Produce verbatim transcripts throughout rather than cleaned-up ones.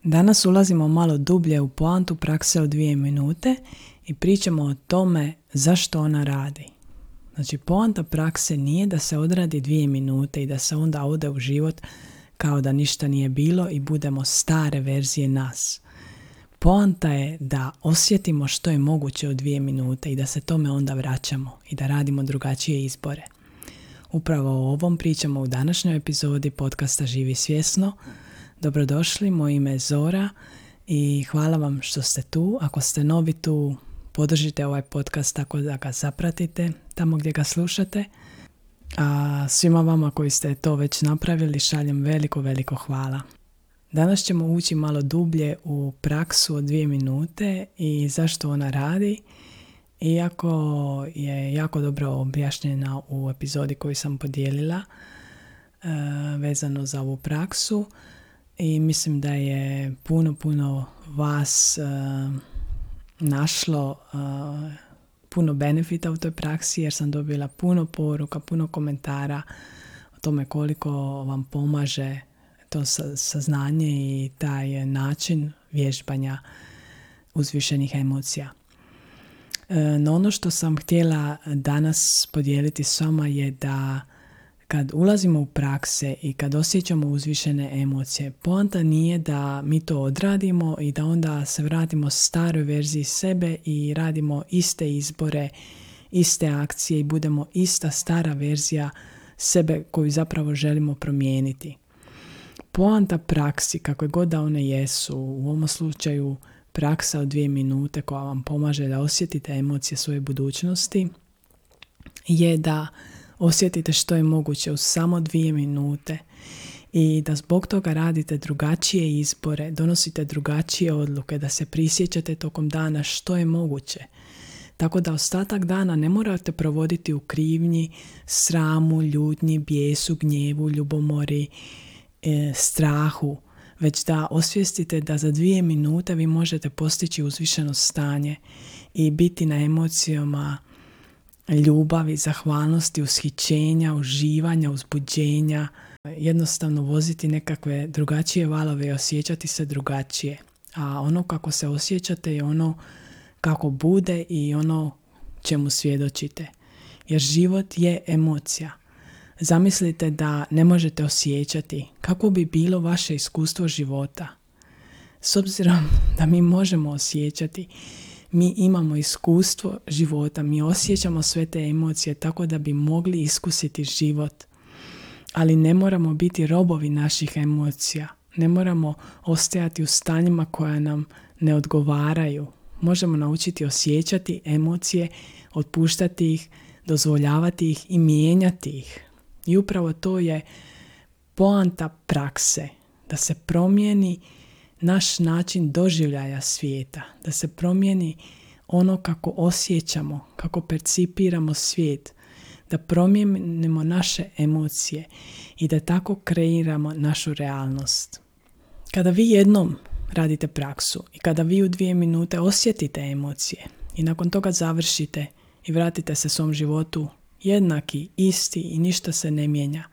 Danas ulazimo malo dublje u poantu prakse od dvije minute i pričamo o tome zašto ona radi. Znači, poanta prakse nije da se odradi dvije minute i da se onda ode u život kao da ništa nije bilo i budemo stare verzije nas. Poanta je da osjetimo što je moguće u dvije minute i da se tome onda vraćamo i da radimo drugačije izbore. Upravo o ovom pričamo u današnjoj epizodi podcasta Živi svjesno. Dobrodošli, moje ime je Zora i hvala vam što ste tu. Ako ste novi tu, podržite ovaj podcast tako da ga zapratite tamo gdje ga slušate. A svima vama koji ste to već napravili šaljem veliko, veliko hvala. Danas ćemo ući malo dublje u praksu od dvije minute i zašto ona radi. Iako je jako dobro objašnjena u epizodi koju sam podijelila uh, vezano za ovu praksu. I mislim da je puno, puno vas uh, našlo uh, puno benefita u toj praksi jer sam dobila puno poruka, puno komentara o tome koliko vam pomaže to saznanje i taj način vježbanja uzvišenih emocija. Uh, no ono što sam htjela danas podijeliti s vama je da kad ulazimo u prakse i kad osjećamo uzvišene emocije, poanta nije da mi to odradimo i da onda se vratimo staroj verziji sebe i radimo iste izbore, iste akcije i budemo ista stara verzija sebe koju zapravo želimo promijeniti. Poanta praksi, kakve god da one jesu, u ovom slučaju praksa od dvije minute koja vam pomaže da osjetite emocije svoje budućnosti, je da osjetite što je moguće u samo dvije minute i da zbog toga radite drugačije izbore, donosite drugačije odluke, da se prisjećate tokom dana što je moguće. Tako da ostatak dana ne morate provoditi u krivnji, sramu, ljutnji, bijesu, gnjevu, ljubomori, e, strahu, već da osvijestite da za dvije minute vi možete postići uzvišeno stanje i biti na emocijama ljubavi, zahvalnosti, ushićenja, uživanja, uzbuđenja, jednostavno voziti nekakve drugačije valove i osjećati se drugačije. A ono kako se osjećate je ono kako bude i ono čemu svjedočite. Jer život je emocija. Zamislite da ne možete osjećati kako bi bilo vaše iskustvo života. S obzirom da mi možemo osjećati, mi imamo iskustvo života, mi osjećamo sve te emocije tako da bi mogli iskusiti život. Ali ne moramo biti robovi naših emocija. Ne moramo ostajati u stanjima koja nam ne odgovaraju. Možemo naučiti osjećati emocije, otpuštati ih, dozvoljavati ih i mijenjati ih. I upravo to je poanta prakse, da se promijeni naš način doživljaja svijeta, da se promijeni ono kako osjećamo, kako percipiramo svijet, da promijenimo naše emocije i da tako kreiramo našu realnost. Kada vi jednom radite praksu i kada vi u dvije minute osjetite emocije i nakon toga završite i vratite se svom životu jednaki, isti i ništa se ne mijenja,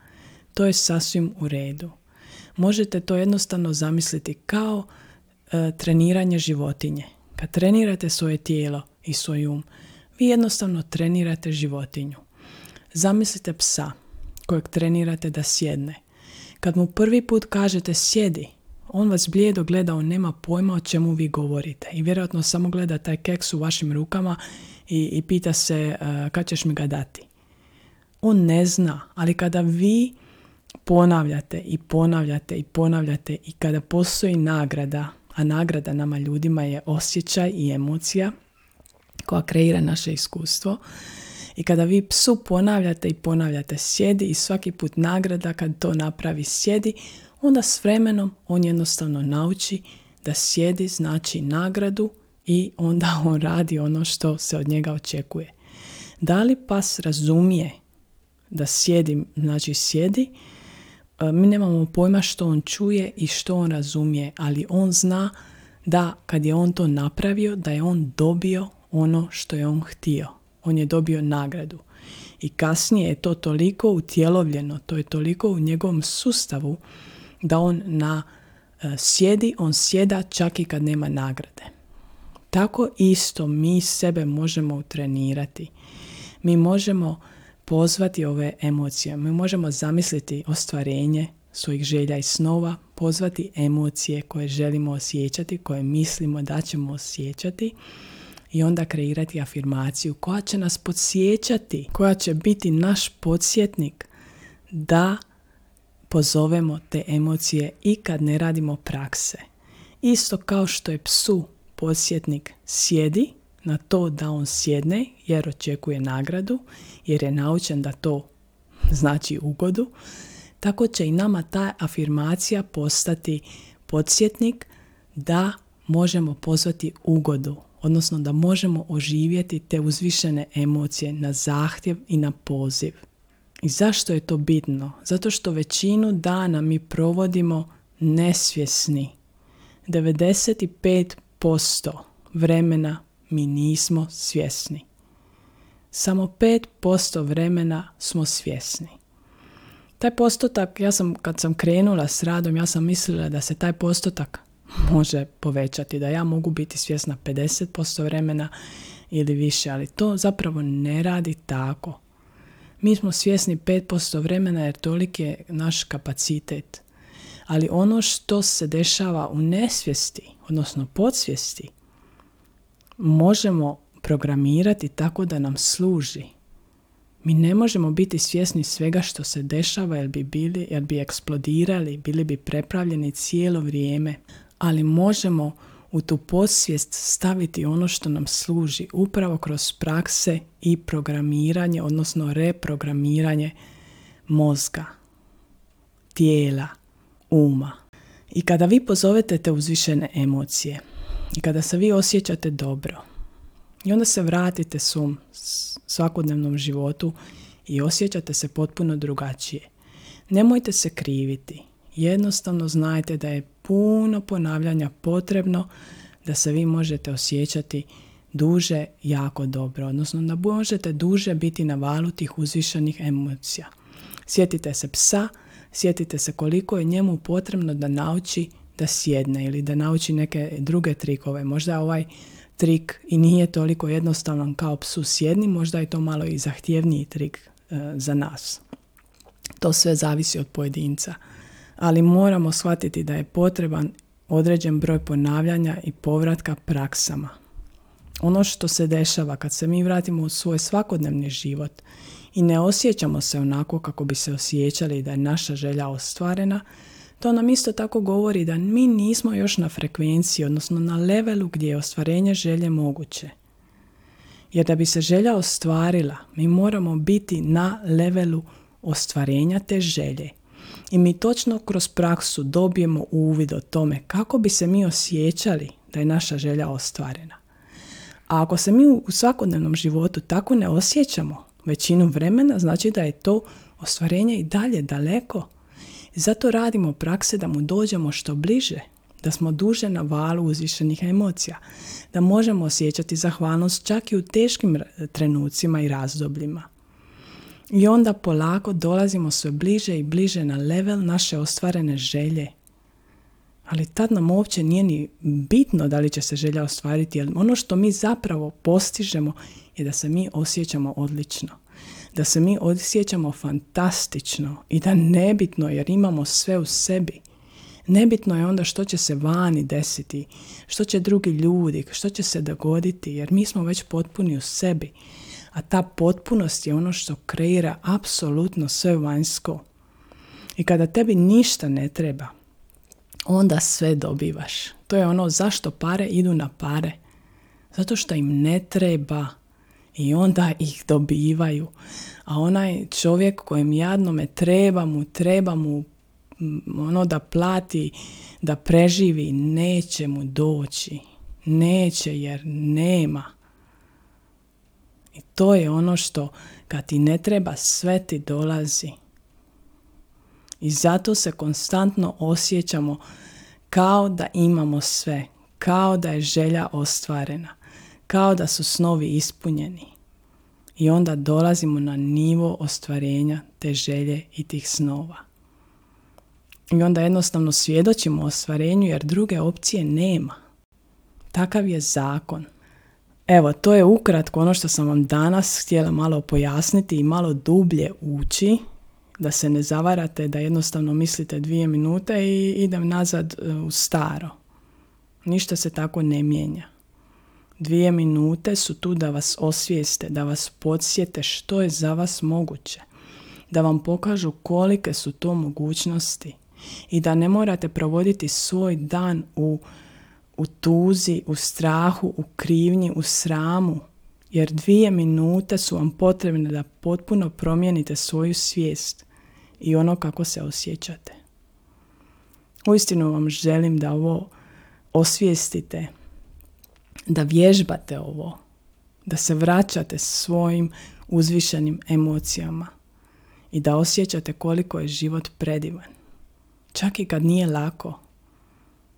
to je sasvim u redu. Možete to jednostavno zamisliti kao e, treniranje životinje. Kad trenirate svoje tijelo i svoj um, vi jednostavno trenirate životinju. Zamislite psa kojeg trenirate da sjedne. Kad mu prvi put kažete sjedi, on vas blijedo gleda, on nema pojma o čemu vi govorite i vjerojatno samo gleda taj keks u vašim rukama i, i pita se uh, kad ćeš mi ga dati. On ne zna, ali kada vi ponavljate i ponavljate i ponavljate i kada postoji nagrada, a nagrada nama ljudima je osjećaj i emocija koja kreira naše iskustvo, i kada vi psu ponavljate i ponavljate sjedi i svaki put nagrada kad to napravi sjedi, onda s vremenom on jednostavno nauči da sjedi znači nagradu i onda on radi ono što se od njega očekuje. Da li pas razumije da sjedi znači sjedi, mi nemamo pojma što on čuje i što on razumije, ali on zna da kad je on to napravio, da je on dobio ono što je on htio. On je dobio nagradu. I kasnije je to toliko utjelovljeno, to je toliko u njegovom sustavu da on na sjedi, on sjeda čak i kad nema nagrade. Tako isto mi sebe možemo utrenirati. Mi možemo pozvati ove emocije. Mi možemo zamisliti ostvarenje svojih želja i snova, pozvati emocije koje želimo osjećati, koje mislimo da ćemo osjećati i onda kreirati afirmaciju koja će nas podsjećati, koja će biti naš podsjetnik da pozovemo te emocije i kad ne radimo prakse. Isto kao što je psu podsjetnik sjedi na to da on sjedne jer očekuje nagradu, jer je naučen da to znači ugodu, tako će i nama ta afirmacija postati podsjetnik da možemo pozvati ugodu, odnosno da možemo oživjeti te uzvišene emocije na zahtjev i na poziv. I zašto je to bitno? Zato što većinu dana mi provodimo nesvjesni. devedeset pet posto vremena mi nismo svjesni. Samo pet posto vremena smo svjesni. Taj postotak, ja sam kad sam krenula s radom, ja sam mislila da se taj postotak može povećati, da ja mogu biti svjesna pedeset posto vremena ili više, ali to zapravo ne radi tako. Mi smo svjesni pet posto vremena jer toliki je naš kapacitet. Ali ono što se dešava u nesvijesti, odnosno podsvijesti, možemo programirati tako da nam služi. Mi ne možemo biti svjesni svega što se dešava jer bi, bili, jer bi eksplodirali, bili bi prepravljeni cijelo vrijeme. Ali možemo u tu podsvijest staviti ono što nam služi upravo kroz prakse i programiranje, odnosno reprogramiranje mozga, tijela, uma. I kada vi pozovete te uzvišene emocije i kada se vi osjećate dobro i onda se vratite svom svakodnevnom životu i osjećate se potpuno drugačije, nemojte se kriviti. Jednostavno znajte da je puno ponavljanja potrebno da se vi možete osjećati duže jako dobro, odnosno da možete duže biti na valu tih uzvišenih emocija. Sjetite se psa, sjetite se koliko je njemu potrebno da nauči da sjedne ili da nauči neke druge trikove. Možda ovaj trik i nije toliko jednostavan kao psu sjedni, možda je to malo i zahtjevniji trik e, za nas. To sve zavisi od pojedinca. Ali moramo shvatiti da je potreban određen broj ponavljanja i povratka praksama. Ono što se dešava kad se mi vratimo u svoj svakodnevni život i ne osjećamo se onako kako bi se osjećali da je naša želja ostvarena, to nam isto tako govori da mi nismo još na frekvenciji, odnosno na levelu gdje je ostvarenje želje moguće. Jer da bi se želja ostvarila, mi moramo biti na levelu ostvarenja te želje. I mi točno kroz praksu dobijemo uvid o tome kako bi se mi osjećali da je naša želja ostvarena. A ako se mi u svakodnevnom životu tako ne osjećamo većinu vremena, znači da je to ostvarenje i dalje daleko. I zato radimo prakse da mu dođemo što bliže, da smo duže na valu uzvišenih emocija, da možemo osjećati zahvalnost čak i u teškim trenucima i razdobljima. I onda polako dolazimo sve bliže i bliže na level naše ostvarene želje. Ali tad nam uopće nije ni bitno da li će se želja ostvariti, jer ono što mi zapravo postižemo je da se mi osjećamo odlično. Da se mi osjećamo fantastično i da nebitno jer imamo sve u sebi. Nebitno je onda što će se vani desiti, što će drugi ljudi, što će se dogoditi, jer mi smo već potpuni u sebi. A ta potpunost je ono što kreira apsolutno sve vanjsko. I kada tebi ništa ne treba, onda sve dobivaš. To je ono zašto pare idu na pare. Zato što im ne treba i onda ih dobivaju. A onaj čovjek kojem jadnome treba mu, treba mu ono da plati, da preživi, neće mu doći. Neće jer nema. I to je ono što kad ti ne treba, sve ti dolazi. I zato se konstantno osjećamo kao da imamo sve, kao da je želja ostvarena, kao da su snovi ispunjeni. I onda dolazimo na nivo ostvarenja te želje i tih snova. I onda jednostavno svjedočimo ostvarenju jer druge opcije nema. Takav je zakon. Evo, to je ukratko ono što sam vam danas htjela malo pojasniti i malo dublje ući, da se ne zavarate, da jednostavno mislite dvije minute i idem nazad u staro. Ništa se tako ne mijenja. Dvije minute su tu da vas osvijeste, da vas podsjete što je za vas moguće, da vam pokažu kolike su to mogućnosti i da ne morate provoditi svoj dan u, u tuzi, u strahu, u krivnji, u sramu, jer dvije minute su vam potrebne da potpuno promijenite svoju svijest i ono kako se osjećate. Uistinu vam želim da ovo osvijestite, da vježbate ovo, da se vraćate svojim uzvišenim emocijama i da osjećate koliko je život predivan. Čak i kad nije lako,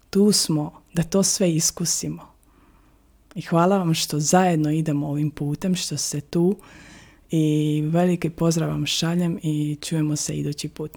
tu smo da to sve iskusimo. I hvala vam što zajedno idemo ovim putem, što ste tu i veliki pozdrav vam šaljem i čujemo se idući put.